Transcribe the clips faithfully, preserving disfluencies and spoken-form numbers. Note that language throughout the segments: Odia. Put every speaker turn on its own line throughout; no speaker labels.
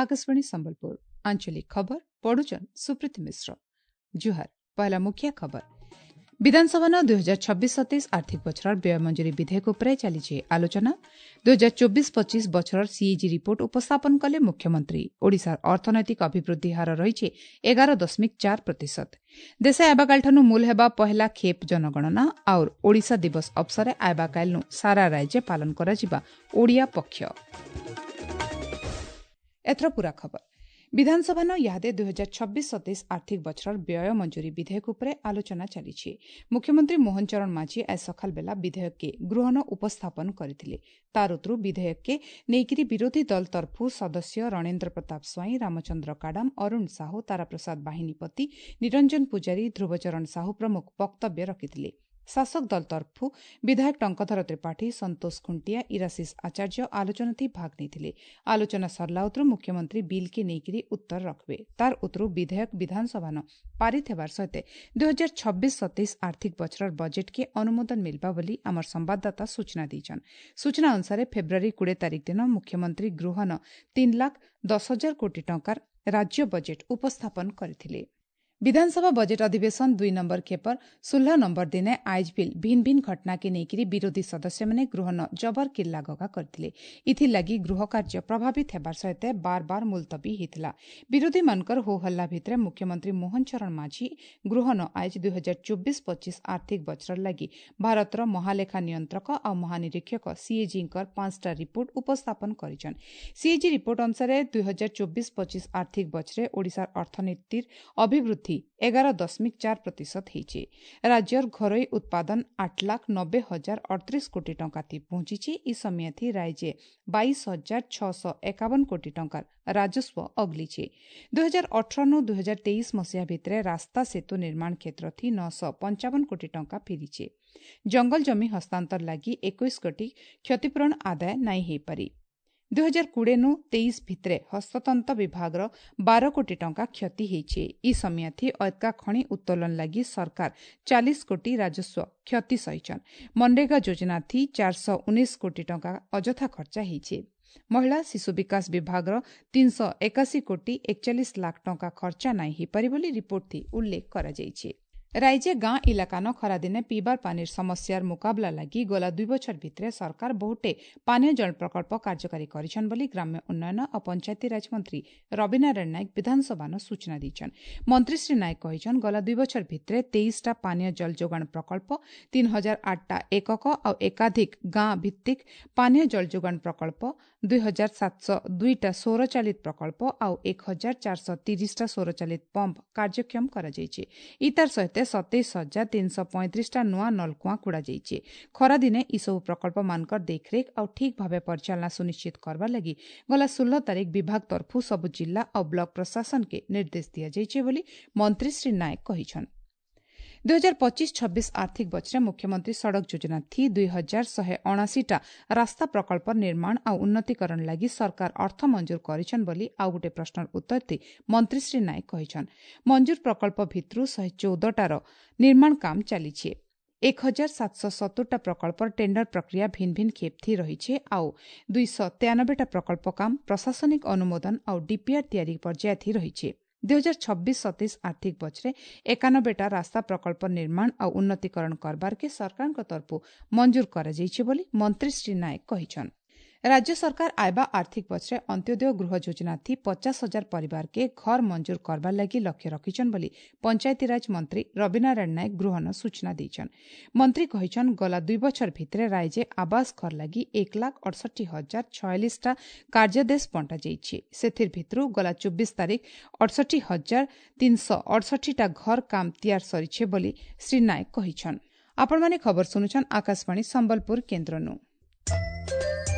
ଆକାଶବାଣୀ ସମ୍ବଲପୁର ଆଞ୍ଚଳିକ ଖବର ପଢୁଛନ୍ ସୁପ୍ରୀତି ମିଶ୍ର ଜୁହାର ପହଲା ମୁଖ୍ୟ ଖବର ବିଧାନସଭାନ ଦୁଇ ହଜାର ଛବିଶ ସତେଇଶ ଆର୍ଥିକ ବଛରର ବ୍ୟୟ ମଞ୍ଜୁରୀ ବିଧେୟକ ଉପରେ ଚାଲିଛି ଆଲୋଚନା ଦୁଇ ହଜାର ଚବିଶ ପଚିଶ ବଛରର ସିଏଜି ରିପୋର୍ଟ ଉପସ୍ଥାପନ କଲେ ମୁଖ୍ୟମନ୍ତ୍ରୀ ଓଡ଼ିଶାର ଅର୍ଥନୈତିକ ଅଭିବୃଦ୍ଧି ହାର ରହିଛି ଏଗାର ଦଶମିକ ଚାର ପ୍ରତିଶତ ଦେଶେ ଆଇବାକାଲିଠାରୁ ମୂଲ ହେବା ପହେଲା ଖେପ୍ ଜନଗଣନା ଆଉ ଓଡ଼ିଶା ଦିବସ ଅବସରେ ଆଇବାକାଲିନୁ ସାରା ରାଜ୍ୟ ପାଳନ କରାଯିବା ଓଡ଼ିଆ ପକ୍ଷ ଏଥର ପୂରା ଖବର ବିଧାନସଭାନ ଇହାଦେ ଦୁଇ ହଜାର ଛବିଶ ସତେଇଶ ଆର୍ଥିକ ବଛରର ବ୍ୟୟ ମଞ୍ଜୁରୀ ବିଧେୟକ ଉପରେ ଆଲୋଚନା ଚାଲିଛି ମୁଖ୍ୟମନ୍ତ୍ରୀ ମୋହନ ଚରଣ ମାଝୀ ଆଜ ସକାଳ ବେଲା ବିଧେୟକକେ ଗୃହନ ଉପସ୍ଥାପନ କରିଥିଲେ ତାର ଉତରୁ ବିଧେୟକକେ ନେଇକିରି ବିରୋଧୀ ଦଳ ତରଫୁ ସଦସ୍ୟ ରଣେନ୍ଦ୍ର ପ୍ରତାପ ସ୍ୱାଇଁ ରାମଚନ୍ଦ୍ର କାଡାମ ଅରୁଣ ସାହୁ ତାରାପ୍ରସାଦ ବାହିନୀପତି ନିରଞ୍ଜନ ପୂଜାରୀ ଧ୍ରୁବଚରଣ ସାହୁ ପ୍ରମୁଖ ବକ୍ତବ୍ୟ ରଖିଥିଲେ ଶାସକ ଦଳ ତରଫୁ ବିଧାୟକ ଟଙ୍କଧର ତ୍ରିପାଠୀ ସନ୍ତୋଷ ଖୁଣ୍ଟିଆ ଇରାଶିଷ ଆଚାର୍ଯ୍ୟ ଆଲୋଚନାଥି ଭାଗ ନେଇଥିଲେ ଆଲୋଚନା ସରିଲା ଉତରୁ ମୁଖ୍ୟମନ୍ତ୍ରୀ ବିଲ୍କେ ନେଇକିରି ଉତ୍ତର ରଖିବେ ତାର ଉତରୁ ବିଧେୟକ ବିଧାନସଭାନ ପାରିତ ହେବାର ସହିତ ଦୁଇ ହଜାର ଛବିଶ ସତେଇଶ ଆର୍ଥିକ ବଛରର ବଜେଟ୍କେ ଅନୁମୋଦନ ମିଲବା ବୋଲି ଆମର ସମ୍ବାଦଦାତା ସୂଚନା ଦେଇଛନ୍ ସୂଚନା ଅନୁସାରେ ଫେବୃଆରୀ କୋଡ଼ିଏ ତାରିଖ ଦିନ ମୁଖ୍ୟମନ୍ତ୍ରୀ ଗୃହନ ତିନି ଲାଖ ଦଶ ହଜାର କୋଟି ଟଙ୍କାର ରାଜ୍ୟ ବଜେଟ୍ ଉପସ୍ଥାପନ କରିଥିଲେ ବିଧାନସଭା ବଜେଟ୍ ଅଧିବେଶନ ଦୁଇ ନମ୍ବର ଖେପର ଷୋହଳ ନମ୍ବର ଦିନେ ଆଇଜ ବିଲ୍ ଭିନ୍ନ ଭିନ୍ନ ଘଟଣାକେ ନେଇକରି ବିରୋଧୀ ସଦସ୍ୟମାନେ ଗୃହନ ଜବର କିଲ୍ଲା ଗଗା କରିଥିଲେ ଏଥିଲାଗି ଗୃହ କାର୍ଯ୍ୟ ପ୍ରଭାବିତ ହେବାର ସହିତ ବାର ବାର ମୁଲତବୀ ହୋଇଥିଲା ବିରୋଧୀମାନଙ୍କର ହୋ ହଲ୍ଲା ଭିତରେ ମୁଖ୍ୟମନ୍ତ୍ରୀ ମୋହନ ଚରଣ ମାଝୀ ଗୃହନ ଆଇଜ ଦୁଇ ହଜାର ଚବିଶ ପଚିଶ ଆର୍ଥିକ ବଛର ଲାଗି ଭାରତର ମହାଲେଖା ନିୟନ୍ତ୍ରକ ଆଉ ମହାନିରୀକ୍ଷକ ସିଏଜିଙ୍କର ପାଞ୍ଚଟା ରିପୋର୍ଟ ଉପସ୍ଥାପନ କରିଛନ୍ ସିଏଜି ରିପୋର୍ଟ ଅନୁସାରେ ଦୁଇ ହଜାର ଚବିଶ ପଚିଶ ଆର୍ଥିକ ବଛରେ ଓଡ଼ିଶାର ଅର୍ଥନୀତିର ଅଭିବୃଦ୍ଧି ଏଗାର ଦଶମିକ ଚାର ପ୍ରତିଶତ ହେଇଛି ରାଜ୍ୟର ଘରୋଇ ଉତ୍ପାଦନ ଆଠ ଲାଖ ନବେ ହଜାର ଅଠତିରିଶ କୋଟି ଟଙ୍କା ଥି ପହଞ୍ଚିଛି ଇ ସମୟଥି ରାଜ୍ୟ ବାଇଶ ହଜାର ଛଅଶହ ଏକାବନ କୋଟି ଟଙ୍କାର ରାଜସ୍ୱ ଅଗଲିଛି ଦୁଇ ହଜାର ଅଠରନୁ ଦୁଇ ହଜାର ତେଇଶ ମସିହା ଭିତରେ ରାସ୍ତା ସେତୁ ନିର୍ମାଣ କ୍ଷେତ୍ର ଥି ନଅଶହ ପଞ୍ଚାବନ କୋଟି ଟଙ୍କା ଫେରିଛି ଜଙ୍ଗଲ ଜମି ହସ୍ତାନ୍ତର ଲାଗି ଏକୋଇଶ କୋଟି କ୍ଷତିପୂରଣ ଆଦାୟ ନାଇଁ ହେଇପାରି ଦୁଇ ହଜାର କୋଡ଼ିଏନୁ ତେଇଶ ଭିତରେ ହସ୍ତତନ୍ତ ବିଭାଗର ବାର କୋଟି ଟଙ୍କା କ୍ଷତି ହେଇଛି ଇ ସମୟଥି ଅଏତ୍କା ଖଣି ଉତ୍ତୋଳନ ଲାଗି ସରକାର ଚାଳିଶ କୋଟି ରାଜସ୍ୱ କ୍ଷତି ସହିଛନ୍ ମନରେଗା ଯୋଜନାଥି ଚାରିଶହ ଉଣେଇଶ କୋଟି ଟଙ୍କା ଅଯଥା ଖର୍ଚ୍ଚା ହେଇଛି ମହିଳା ଶିଶୁ ବିକାଶ ବିଭାଗର ତିନିଶହ ଏକାଶୀ କୋଟି ଏକଚାଳିଶ ଲାଖ ଟଙ୍କା ଖର୍ଚ୍ଚା ନାଇଁ ହେଇପାରି ବୋଲି ରିପୋର୍ଟଥି ଉଲ୍ଲେଖ କରାଯାଇଛି ରାଜ୍ୟ ଗାଁ ଇଲାକାନ ଖରାଦିନେ ପିଇବାର ପାନିର ସମସ୍ୟାର ମୁକାବଲା ଲାଗି ଗଲା ଦୁଇ ବଛର ଭିତରେ ସରକାର ବହୁଟେ ପାନୀୟ ଜଳ ପ୍ରକଳ୍ପ କାର୍ଯ୍ୟକାରୀ କରିଛନ୍ ବୋଲି ଗ୍ରାମ୍ୟ ଉନ୍ନୟନ ଓ ପଞ୍ଚାୟତିରାଜ ମନ୍ତ୍ରୀ ରବିନାରାୟଣ ନାୟକ ବିଧାନସଭାନ ସୂଚନା ଦେଇଛନ୍ ମନ୍ତ୍ରୀ ଶ୍ରୀ ନାୟକ କହିଛନ୍ ଗଲା ଦୁଇ ବଛର ଭିତରେ ତେଇଶଟା ପାନୀୟ ଜଳ ଯୋଗାଣ ପ୍ରକଳ୍ପ ତିନି ହଜାର ଆଠଟା ଏକକ ଆଉ ଏକାଧିକ ଗାଁ ଭିତ୍ତିକ ପାନୀୟ ଜଳ ଯୋଗାଣ ପ୍ରକଳ୍ପ ଦୁଇ ହଜାର ସାତଶହ ଦୁଇଟା ସୌରଚାଳିତ ପ୍ରକଳ୍ପ ଆଉ ଏକ ହଜାର ଚାରିଶହ ତିରିଶଟା ସୌରଚାଳିତ ପମ୍ପ କାର୍ଯ୍ୟକ୍ଷମ କରାଯାଇଛି ଇତାର ସହିତ ସତେଇଶ ହଜାର ତିନିଶହ ପଇଁତିରିଶଟା ନୂଆ ନଳକୂଆ ଖୋଳାଯାଇଛି ଖରାଦିନେ ଏସବୁ ପ୍ରକଳ୍ପମାନଙ୍କର ଦେଖରେଖ ଆଉ ଠିକ୍ ଭାବେ ପରିଚାଳନା ସୁନିଶ୍ଚିତ କରବାର ଲାଗି ଗଲା ଷୋହଳ ତାରିଖ ବିଭାଗ ତରଫୁ ସବୁ ଜିଲ୍ଲା ଆଉ ବ୍ଲକ ପ୍ରଶାସନକେ ନିର୍ଦ୍ଦେଶ ଦିଆଯାଇଛି ବୋଲି ମନ୍ତ୍ରୀ ଶ୍ରୀ ନାୟକ କହିଛନ୍ ଦୁଇ ହଜାର ପଚିଶ ଛବିଶ ଆର୍ଥିକ ବଛରେ ମୁଖ୍ୟମନ୍ତ୍ରୀ ସଡ଼କ ଯୋଜନା ଥି ଦୁଇ ହଜାର ଶହେ ଅଣାଅଶୀଟା ରାସ୍ତା ପ୍ରକଳ୍ପ ନିର୍ମାଣ ଆଉ ଉନ୍ନତିକରଣ ଲାଗି ସରକାର ଅର୍ଥ ମଞ୍ଜୁର କରିଛନ୍ ବୋଲି ଆଉ ଗୋଟିଏ ପ୍ରଶ୍ନର ଉତ୍ତର ଦେଇ ମନ୍ତ୍ରୀ ଶ୍ରୀ ନାୟକ କହିଛନ୍ ମଞ୍ଜୁର ପ୍ରକଳ୍ପ ଭିତରୁ ଶହେ ଚଉଦଟାର ନିର୍ମାଣ କାମ ଚାଲିଛି ଏକ ହଜାର ସାତଶହ ସତୁରଟା ପ୍ରକଳ୍ପର ଟେଣ୍ଡର ପ୍ରକ୍ରିୟା ଭିନ୍ନ ଭିନ୍ନ ଖେପଥି ରହିଛି ଆଉ ଦୁଇଶହ ତେୟାନବେଟା ପ୍ରକଳ୍ପ କାମ ପ୍ରଶାସନିକ ଅନୁମୋଦନ ଆଉ ଡିପିଆର୍ ତିଆରି ପର୍ଯ୍ୟାୟଥି ରହିଛି ଦୁଇ ହଜାର ଛବିଶ ସତେଇଶ ଆର୍ଥିକ ବଛରେ ଏକାନବେଟା ରାସ୍ତା ପ୍ରକଳ୍ପ ନିର୍ମାଣ ଆଉ ଉନ୍ନତିକରଣ କରବାରକେ ସରକାରଙ୍କ ତରଫରୁ ମଞ୍ଜୁର କରାଯାଇଛି ବୋଲି ମନ୍ତ୍ରୀ ଶ୍ରୀ ନାୟକ କହିଛନ୍ ରାଜ୍ୟ ସରକାର ଆଇବା ଆର୍ଥିକ ବଛରେ ଅନ୍ତ୍ୟୋଦୟ ଗୃହ ଯୋଜନାଥି ପଚାଶ ହଜାର ପରିବାରକେ ଘର ମଞ୍ଜୁର କରବାର ଲାଗି ଲକ୍ଷ୍ୟ ରଖିଛନ୍ ବୋଲି ପଞ୍ଚାୟତିରାଜ ମନ୍ତ୍ରୀ ରବିନାରାୟଣ ନାୟକ ଗୃହନ ସୂଚନା ଦେଇଛନ୍ ମନ୍ତ୍ରୀ କହିଛନ୍ ଗଲା ଦୁଇ ବଛର ଭିତରେ ରାଜ୍ୟ ଆବାସ ଘର ଲାଗି ଏକ ଲାଖ ଅଠଷଠି ହଜାର ଛୟାଳିଶଟା କାର୍ଯ୍ୟାଦେଶ ବଣ୍ଟାଯାଇଛି ସେଥିର ଭିତରୁ ଗଲା ଚବିଶ ତାରିଖ ଅଠଷଠି ହଜାର ତିନିଶହ ଅଠଷଠିଟା ଘର କାମ ତିଆର ସରିছে ବୋଲି ଶ୍ରୀ ନାୟକ କହିଛନ୍ ଆପଣମାନେ ଖବର ଶୁଣୁଛନ୍ ଆକାଶବାଣୀ ସମ୍ବଲପୁର କେନ୍ଦ୍ରନୁ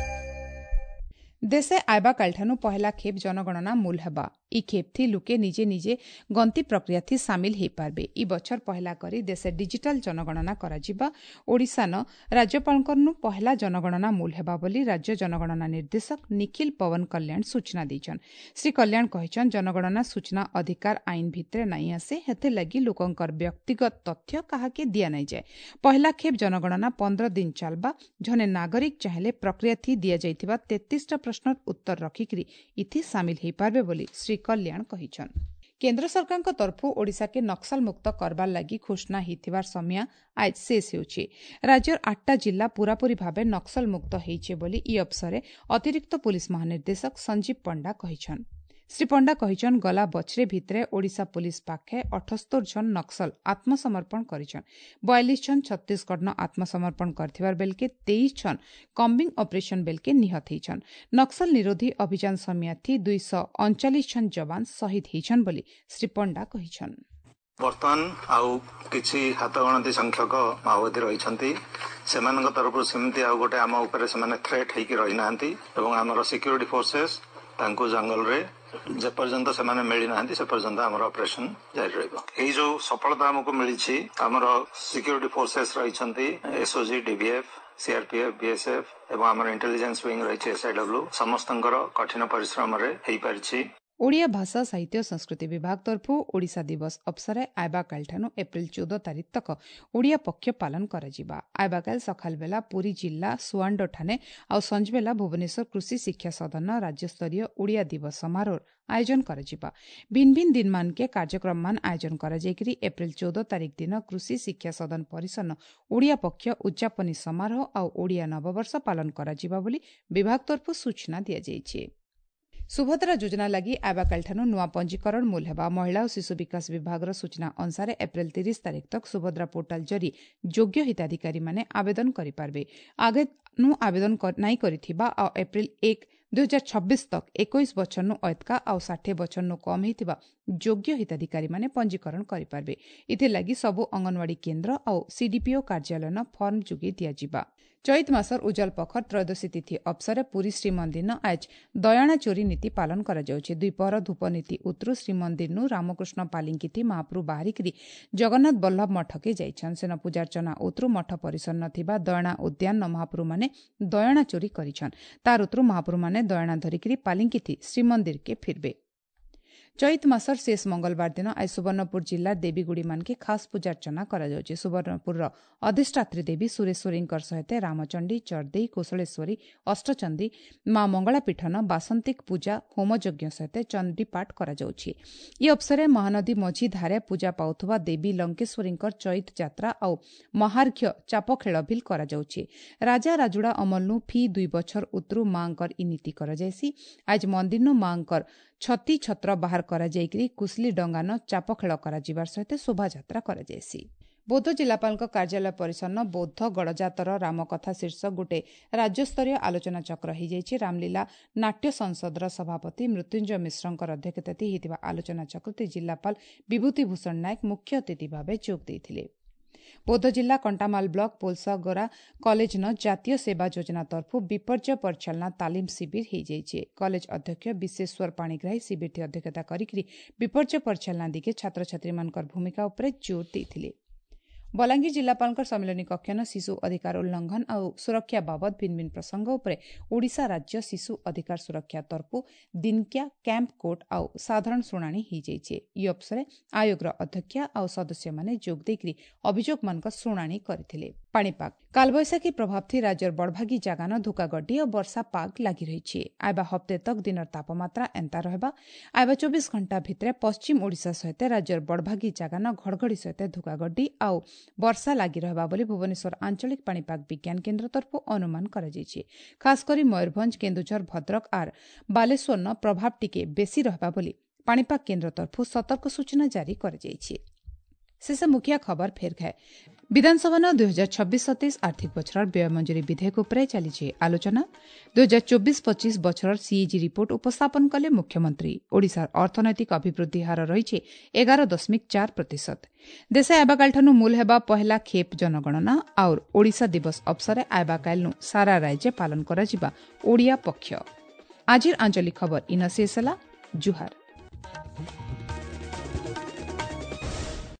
ଦେଶେ ଆଇବା କାଲିଠାନୁ ପହେଲା ଖେପ୍ ଜନଗଣନା ମୂଲ ହେବା ଇ ଖେପ୍ଥି ଲୁକେ ନିଜେ ନିଜେ ଗନ୍ତି ପ୍ରକ୍ରିୟାଥି ସାମିଲ ହେଇପାରବେ ଇ ବଛର ପହେଲା କରି ଦେଶେ ଡିଜିଟାଲ ଜନଗଣନା କରାଯିବା ଓଡ଼ିଶାନ ରାଜ୍ୟପାଳଙ୍କରନୁ ପହେଲା ଜନଗଣନା ମୂଲ ହେବା ବୋଲି ରାଜ୍ୟ ଜନଗଣନା ନିର୍ଦ୍ଦେଶକ ନିଖିଲ ପବନ କଲ୍ୟାଣ ସୂଚନା ଦେଇଛନ୍ ଶ୍ରୀ କଲ୍ୟାଣ କହିଛନ୍ ଜନଗଣନା ସୂଚନା ଅଧିକାର ଆଇନ ଭିତରେ ନାଇଁ ଆସେ ହେଥିର୍ଲାଗି ଲୋକଙ୍କର ବ୍ୟକ୍ତିଗତ ତଥ୍ୟ କାହାକେ ଦିଆ ନାଇଁ ଯାଏ ପହେଲା ଖେପ୍ ଜନଗଣନା ପନ୍ଦର ଦିନ ଚାଲବା ଜଣେ ନାଗରିକ ଚାହିଁଲେ ପ୍ରକ୍ରିୟାଥି ଦିଆଯାଇଥିବା ତେତିଶଟା ପ୍ରଶ୍ନର ଉତ୍ତର ରଖିକରି ଇଥି ସାମିଲ ହୋଇପାରବେ ବୋଲି ଶ୍ରୀ କଲ୍ୟାଣ କହିଛନ୍। କେନ୍ଦ୍ର ସରକାରଙ୍କ ତରଫରୁ ଓଡ଼ିଶାକେ ନକ୍ସଲ ମୁକ୍ତ କରବାର୍ ଲାଗି ଘୋଷଣା ହେଇଥିବାର ସମୟ ଆଜ ଶେଷ ହେଉଛି। ରାଜ୍ୟର ଆଠଟା ଜିଲ୍ଲା ପୂରାପୂରି ଭାବେ ନକ୍ସଲ ମୁକ୍ତ ହେଇଛେ ବୋଲି ଇ ଅବସରରେ ଅତିରିକ୍ତ ପୁଲିସ ମହାନିର୍ଦ୍ଦେଶକ ସଞ୍ଜୀବ ପଣ୍ଡା କହିଛନ୍। ଶ୍ରୀ ପଣ୍ଡା କହିଛନ୍, ଗଲା ବଛରେ ଭିତରେ ଓଡ଼ିଶା ପୁଲିସ ପାଖେ ଅଠସ୍ତର ଜଣ ନକ୍ସଲ ଆତ୍ମସମର୍ପଣ କରିଛନ୍। ବୟାଲିଶ ଜଣ ଛତିଶଗଡ଼ନ ଆତ୍ମସମର୍ପଣ କରିଥିବାର ବେଲକେ ତେଇଶ ଜଣ କମ୍ବିଂ ଅପରେସନ ବେଲକେ ନିହତ ହେଇଛନ୍। ନକ୍ସଲ ନିରୋଧୀ ଅଭିଯାନ ସମୟାଥି ଦୁଇଶହ ଅଣଚାଳିଶ ଜଣ ଯବାନ ଶହୀଦ ହେଇଛନ୍ ବୋଲି ଶ୍ରୀ ପଣ୍ଡା କହିଛନ୍।
ବର୍ତ୍ତମାନ ଆଉ କିଛି ହାତଗଣତି ସଂଖ୍ୟକ ମାଓବାଦୀ ରହିଛନ୍ତି। ସେମାନଙ୍କ ତରଫରୁ ସେମିତି ଆଉ ଗୋଟେ ଆମ ଉପରେ ସେମାନେ ଥ୍ରେଟ୍ ହେଇକି ରହିନାହାନ୍ତି ଏବଂ ଆମର ସିକ୍ୟୁରିଟି ଫୋର୍ସେସ୍ ତାଙ୍କୁ ଜଙ୍ଗଲରେ ଯେପର୍ଯ୍ୟନ୍ତ ସେମାନେ ମିଳିନାହାନ୍ତି ସେ ପର୍ଯ୍ୟନ୍ତ ଆମର ଅପରେସନ ଜାରି ରହିବ। ଏଇ ଯୋଉ ସଫଳତା ଆମକୁ ମିଳିଛି, ଆମର ସିକ୍ୟୁରିଟି ଫୋର୍ସେସ୍ ରହିଛନ୍ତି ଏସ୍ଓଜି, ଡିଭିଏଫ୍, ସିଆରପିଏଫ୍, ବିଏସ୍ଏଫ୍ ଏବଂ ଆମର ଇଣ୍ଟେଲିଜେନ୍ସ ୱିଙ୍ଗ ରହିଛି ଏସ୍ଆଇଡବ୍ଲ୍ୟୁ, ସମସ୍ତଙ୍କର କଠିନ ପରିଶ୍ରମରେ ହେଇପାରିଛି।
ଓଡ଼ିଆ ଭାଷା ସାହିତ୍ୟ ସଂସ୍କୃତି ବିଭାଗ ତରଫରୁ ଓଡ଼ିଶା ଦିବସ ଅବସରେ ଆଇବାକାଲିଠାନୁ ଏପ୍ରିଲ ଚଉଦ ତାରିଖ ତକ ଓଡ଼ିଆ ପକ୍ଷ ପାଳନ କରାଯିବା। ଆଇବାକାଲି ସକାଳ ବେଲା ପୁରୀ ଜିଲ୍ଲା ସୁଆଣ୍ଡୋଠାନେ ଆଉ ସଞ୍ଜବେଲା ଭୁବନେଶ୍ୱର କୃଷି ଶିକ୍ଷା ସଦନ ରାଜ୍ୟସ୍ତରୀୟ ଓଡ଼ିଆ ଦିବସ ସମାରୋହର ଆୟୋଜନ କରାଯିବା। ଭିନ୍ନ ଭିନ୍ନ ଦିନମାନକେ କାର୍ଯ୍ୟକ୍ରମମାନ ଆୟୋଜନ କରାଯାଇକରି ଏପ୍ରିଲ ଚଉଦ ତାରିଖ ଦିନ କୃଷି ଶିକ୍ଷା ସଦନ ପରିସର ଓଡ଼ିଆ ପକ୍ଷ ଉଦ୍ଯାପନୀ ସମାରୋହ ଆଉ ଓଡ଼ିଆ ନବବର୍ଷ ପାଳନ କରାଯିବା ବୋଲି ବିଭାଗ ତରଫରୁ ସୂଚନା ଦିଆଯାଇଛି। ସୁଭଦ୍ରା ଯୋଜନା ଲାଗି ଆବାକାଲିଠାରୁ ନୂଆ ପଞ୍ଜୀକରଣ ମୂଲ ହେବା। ମହିଳା ଓ ଶିଶୁ ବିକାଶ ବିଭାଗର ସୂଚନା ଅନୁସାରେ ଏପ୍ରିଲ ତିରିଶ ତାରିଖ ତକ ସୁଭଦ୍ରା ପୋର୍ଟାଲ ଜରି ଯୋଗ୍ୟ ହିତାଧିକାରୀମାନେ ଆବେଦନ କରିପାରିବେ। ଆଗନୁ ଆବେଦନ ନାଇଁ କରିଥିବା ଆଉ ଏପ୍ରିଲ ଏକ ଦୁଇ ହଜାର ଛବିଶ ତକ ଏକୋଇଶ ବଛରନୁ ଅଏତକା ଆଉ ଷାଠିଏ ବଛରନୁ କମ୍ ହେଇଥିବା ଯୋଗ୍ୟ ହିତାଧିକାରୀମାନେ ପଞ୍ଜୀକରଣ କରିପାରିବେ। ଏଥିଲାଗି ସବୁ ଅଙ୍ଗନବାଡ଼ି କେନ୍ଦ୍ର ଆଉ ସିଡିପିଓ କାର୍ଯ୍ୟାଳୟନ ଫର୍ମ ଯୋଗାଇ ଦିଆଯିବା। ଚୈତ ମାସର ଉଜଲ ପଖର ତ୍ରୟୋଦଶୀ ତିଥି ଅବସରରେ ପୁରୀ ଶ୍ରୀମନ୍ଦିର ଆଜ ଦୟାଣା ଚୋରି ନୀତି ପାଳନ କରାଯାଉଛି। ଦ୍ୱିପହର ଧୂପ ନୀତି ଉତରୁ ଶ୍ରୀମନ୍ଦିରନୁ ରାମକୃଷ୍ଣ ପାଲିଙ୍କିଥି ମହାପ୍ରଭୁ ବାହାରିକିରି ଜଗନ୍ନାଥ ବଲ୍ଲଭ ମଠକେ ଯାଇଛନ୍। ସେନ ପୂଜାର୍ଚ୍ଚନା ଉତରୁ ମଠ ପରିସର ଥିବା ଦୟଣା ଉଦ୍ୟାନ ମହାପ୍ରଭୁମାନେ ଦୟଣା ଚୋରି କରିଛନ୍। ତାର ଉତରୁ ମହାପ୍ରଭୁମାନେ ଦୟଣା ଧରିକିରି ପାଲିଙ୍କିଥି ଶ୍ରୀମନ୍ଦିରକେ ଫିରବେ। ଚୈତ ମାସର ଶେଷ ମଙ୍ଗଳବାର ଦିନ ଆଜି ସୁବର୍ଣ୍ଣପୁର ଜିଲ୍ଲା ଦେବୀଗୁଡ଼ିମାନକେ ଖାସ୍ ପୂଜାର୍ଚ୍ଚନା କରାଯାଉଛି। ସୁବର୍ଣ୍ଣପୁରର ଅଧିଷ୍ଠାତ୍ରୀ ଦେବୀ ସୁରେଶ୍ୱରୀଙ୍କର ସହିତ ରାମଚଣ୍ଡୀ, ଚର୍ଦେଇ, କୋଶଳେଶ୍ୱରୀ, ଅଷ୍ଟଚଣ୍ଡୀ, ମା ମଙ୍ଗଳାପୀଠନ ବାସନ୍ତିକ ପୂଜା ହୋମଯଜ୍ଞ ସହିତ ଚଣ୍ଡୀପାଠ କରାଯାଉଛି। ଏହି ଅବସରରେ ମହାନଦୀ ମଝି ଧାରେ ପୂଜା ପାଉଥିବା ଦେବୀ ଲଙ୍କେଶ୍ୱରୀଙ୍କର ଚୈତ ଯାତ୍ରା ଆଉ ମହାର୍ଘ୍ୟ ଚାପଖେଳ ଭିଲ୍ କରାଯାଉଛି। ରାଜା ରାଜୁଡ଼ା ଅମଲନୁ ଫି ଦୁଇ ବଛର ଉତରୁ ମାଙ୍କର ଇ ନୀତି କରାଯାଇସି। ଆଜି ମନ୍ଦିରନୁ ମାଙ୍କର ଛତି ଛତ୍ର ବାହାର କରାଯାଇକରି କୁଶଲି ଡଙ୍ଗାନ ଚାପଖେଳ କରାଯିବାର ସହିତ ଶୋଭାଯାତ୍ରା କରାଯାଇସି। ବୌଦ୍ଧ ଜିଲ୍ଲାପାଳଙ୍କ କାର୍ଯ୍ୟାଳୟ ପରିସର ବୌଦ୍ଧ ଗଡ଼ଜାତର ରାମକଥା ଶୀର୍ଷକ ଗୋଟିଏ ରାଜ୍ୟସ୍ତରୀୟ ଆଲୋଚନାଚକ୍ର ହୋଇଯାଇଛି। ରାମଲୀଳା ନାଟ୍ୟ ସଂସଦର ସଭାପତି ମୃତ୍ୟୁଞ୍ଜୟ ମିଶ୍ରଙ୍କର ଅଧ୍ୟକ୍ଷତାରେ ହୋଇଥିବା ଆଲୋଚନାଚକ୍ରରେ ଜିଲ୍ଲାପାଳ ବିଭୂତି ଭୂଷଣ ନାୟକ ମୁଖ୍ୟ ଅତିଥି ଭାବେ ଯୋଗ ଦେଇଥିଲେ। ବୌଦ୍ଧ ଜିଲ୍ଲା କଣ୍ଟାମାଲ ବ୍ଲକ ପୋଲସଗୋରା କଲେଜନ ଜାତୀୟ ସେବା ଯୋଜନା ତରଫରୁ ବିପର୍ଯ୍ୟୟ ପରିଚାଳନା ତାଲିମ ଶିବିର ହୋଇଯାଇଛି। କଲେଜ ଅଧ୍ୟକ୍ଷ ବିଶ୍ୱେଶ୍ୱର ପାଣିଗ୍ରାହୀ ଶିବିରଟି ଅଧ୍ୟକ୍ଷତା କରିକି ବିପର୍ଯ୍ୟୟ ପରିଚାଳନା ଦିଗେ ଛାତ୍ରଛାତ୍ରୀମାନଙ୍କର ଭୂମିକା ଉପରେ ଜୋର ଦେଇଥିଲେ। ବଲାଙ୍ଗୀର ଜିଲ୍ଲାପାଳଙ୍କ ସମ୍ମିଳନୀ କକ୍ଷନ ଶିଶୁ ଅଧିକାର ଉଲ୍ଲଂଘନ ଆଉ ସୁରକ୍ଷା ବାବଦ ଭିନ୍ନ ଭିନ୍ନ ପ୍ରସଙ୍ଗ ଉପରେ ଓଡ଼ିଶା ରାଜ୍ୟ ଶିଶୁ ଅଧିକାର ସୁରକ୍ଷା ତରଫରୁ ଦିନକିଆ କ୍ୟାମ୍ପ କୋର୍ଟ ଆଉ ସାଧାରଣ ଶୁଣାଣି ହୋଇଯାଇଛି। ଏହି ଅବସରରେ ଆୟୋଗର ଅଧ୍ୟକ୍ଷା ଆଉ ସଦସ୍ୟମାନେ ଯୋଗ ଦେଇକରି ଅଭିଯୋଗମାନଙ୍କ ଶୁଣାଣି କରିଥିଲେ। ପାଣିପାଗ କାଲବୈଶାଖୀ ପ୍ରଭାବ ରାଜ୍ୟର ବଡ଼ଭାଗୀ ଜାଗାନ ଧୋକାଗଡି ଓ ବର୍ଷା ପାଗ ଲାଗି ରହିଛି। ଆଇବା ହପ୍ତେ ତକ ଦିନର ତାପମାତ୍ରା ଏନ୍ତା ରହିବା। ଆଇବା ଚବିଶ ଘଣ୍ଟା ଭିତରେ ପଶ୍ଚିମ ଓଡ଼ିଶା ସହିତ ରାଜ୍ୟର ବଡ଼ଭାଗୀ ଜାଗାନ ଘଡ଼ଘଡ଼ି ସହିତ ଧୋକାଗଡି ଆଉ ବର୍ଷା ଲାଗି ରହିବା ବୋଲି ଭୁବନେଶ୍ୱର ଆଞ୍ଚଳିକ ପାଣିପାଗ ବିଜ୍ଞାନ କେନ୍ଦ୍ର ତରଫରୁ ଅନୁମାନ କରାଯାଇଛି। ଖାସ୍ କରି ମୟୂରଭଞ୍ଜ, କେନ୍ଦୁଝର, ଭଦ୍ରକ ଆର୍ ବାଲେଶ୍ୱରର ପ୍ରଭାବ ଟିକେ ବେଶୀ ରହିବା ବୋଲି ପାଣିପାଗ କେନ୍ଦ୍ର ତରଫରୁ ସତର୍କ ସୂଚନା ଜାରି କରାଯାଇଛି। ଶେଷ ମୁଖିଆ ଖବର ଫେର ଘାଏ। ବିଧାନସଭାନ ଦୁଇ ହଜାର ଛବିଶ ସତେଇଶ ଆର୍ଥିକ ବଛରର ବ୍ୟୟ ମଞ୍ଜୁରୀ ବିଧେୟକ ଉପରେ ଚାଲିଛି ଆଲୋଚନା। ଦୁଇ ହଜାର ଚବିଶ ପଚିଶ ବଛରର ସିଏଜି ରିପୋର୍ଟ ଉପସ୍ଥାପନ କଲେ ମୁଖ୍ୟମନ୍ତ୍ରୀ। ଓଡ଼ିଶାର ଅର୍ଥନୈତିକ ଅଭିବୃଦ୍ଧି ହାର ରହିଛି ଏଗାର ଦଶମିକ ଚାରି ପ୍ରତିଶତ। ଦେଶେ ଆଇବାକାଲିଠାରୁ ମୂଲ ହେବା ପହିଲା ଖେପ ଜନଗଣନା ଆଉ ଓଡ଼ିଶା ଦିବସ ଅବସରରେ ଆଇବାକାଲିନୁ ସାରା ରାଜ୍ୟ ପାଳନ କରାଯିବା ଓଡ଼ିଆ ପକ୍ଷ। ଆଜିର ଆଞ୍ଚଳିକ ଖବର ଇନ ଶେଷ ହେଲା। ଜୁହାର।